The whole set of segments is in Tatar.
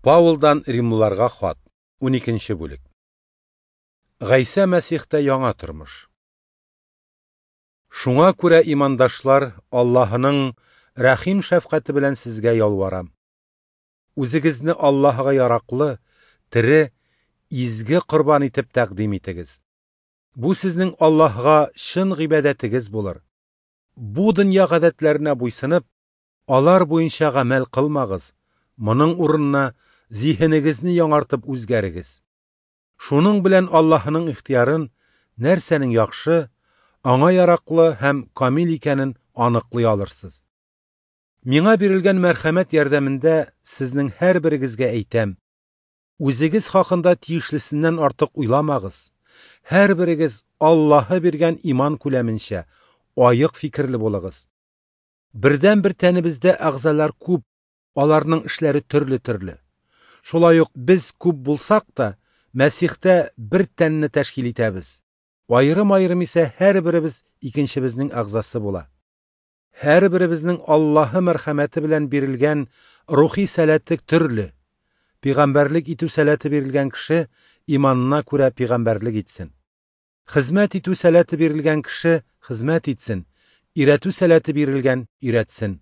Паулдан Римлыларга хат, 12 бүлек. Гайсә Мәсихтә яңа тормыш. Шуңа күрә, имандашлар, Аллаһының рәхим шәфкате белән сезгә ялварам. Үзегезне Аллаһыга яраклы, тере, изге корбан итеп тәкъдим итегез. Бу сезнең Аллаһыга чын гыйбадәтегез булыр. Бу дөнья гадәтләренә буйсынып, алар буенча гамәл кылмагыз. Моның урынына зиһенегезне яңартып үзгәрегез. Шуның белән Аллаһының ихтыярын, нәрсәнең яхшы, аңа яраклы һәм камил икәнен аныклый алырсыз. Миңа бирелгән мәрхәмәт ярдәмендә сезнең һәрберегезгә әйтәм: үзегез хакында тиешлесеннән артык уйламагыз. Һәрберегез Аллаһы биргән иман күләменчә аек фикерле булыгыз. Бердән-бер тәнебездә әгъзалар күп, аларның эшләре төрле-төрле. Шулай ук без күп булсак та, Мәсихтә бер тәнне тәшкил итәбез. Аерым-аерым исә һәрберебез икенчебезнең әгъзасы була. Һәрберебезнең Аллаһы мәрхәмәте белән бирелгән рухи сәләте төрле. Пәйгамбәрлек итү сәләте бирелгән кеше иманына күрә пәйгамбәрлек итсен. Хезмәт итү сәләте бирелгән кеше хезмәт итсен, өйрәтү сәләте бирелгән өйрәтсен.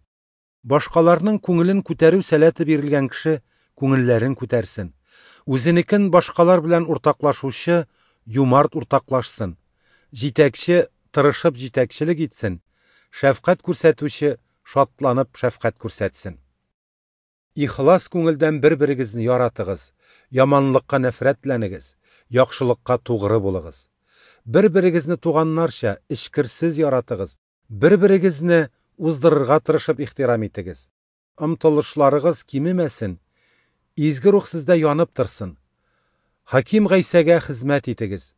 Башкаларның күңелен күтәрү сәләте бирелгән кеше күңелләрен күтәрсен. Үзенекен башкалар белән уртаклашучы юмарт уртаклашсын. Җитәкче тырышып җитәкчелек итсен, шәфкать күрсәтүче шатланып шәфкать күрсәтсен. Ихлас күңелдән бер-берегезне яратыгыз, яманлыкка нәфрәтләнегез, яхшылыкка тугры булыгыз. Бер-берегезне туганнарча, эчкерсез яратыгыз, бер-берегезне уздырырга тырышып ихтирам итегез. Омтылышларыгыз кимемәсен, изге рух сездә янып торсын. Хаким Гайсәгә хезмәт итегез.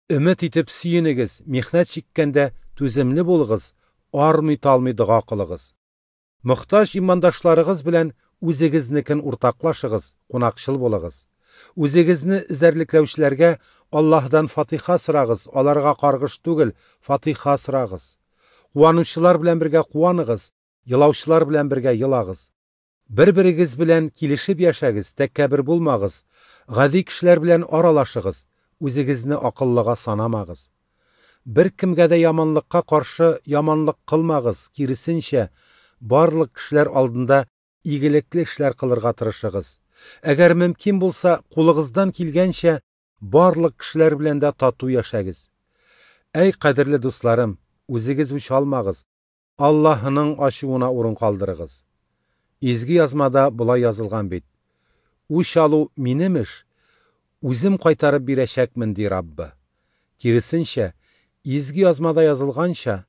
Өмет итеп сөенегез, михнәт чиккәндә түземле булыгыз, армый-талмый дога кылыгыз. Мохтаҗ имандашларыгыз белән үзегезнекен уртаклашыгыз, кунакчыл булыгыз. Үзегезне эзәрлекләүчеләргә Аллаһдан фатиха сорагыз, аларга каргыш түгел, фатиха сорагыз. Куанучылар белән бергә куаныгыз, елаучылар белән бергә елагыз. Бер-берегез белән килешеп яшәгез, тәкәббер булмагыз, гади кешеләр белән аралашыгыз, үзегезне акыллыга санамагыз. Бер кемгә дә яманлыкка каршы яманлык кылмагыз, киресенчә, барлык кешеләр алдында игелекле эшләр кылырга тырышыгыз. Әгәр мөмкин булса, кулыгыздан килгәнчә барлык кешеләр белән дә тату яшәгез. Әй кадерле дусларым, үзегез үч алмагыз, Аллаһының ачуына урын калдырыгыз. Изге язмада болай язылган бит: Үч алу минем эш, үзем кайтарып бирәчәкмен, ди Раббы. Киресенчә, изге язмада язылганча,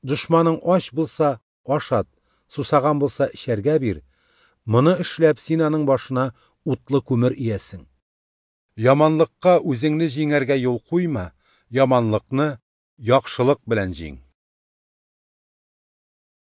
дошманың ач булса, ашат, сусаган булса, эчәргә бир. Моны эшләп син аның башына утлы күмер иясең. Яманлыкка үзеңне җиңәргә юл куйма, яманлыкны яхшылык белән җиң.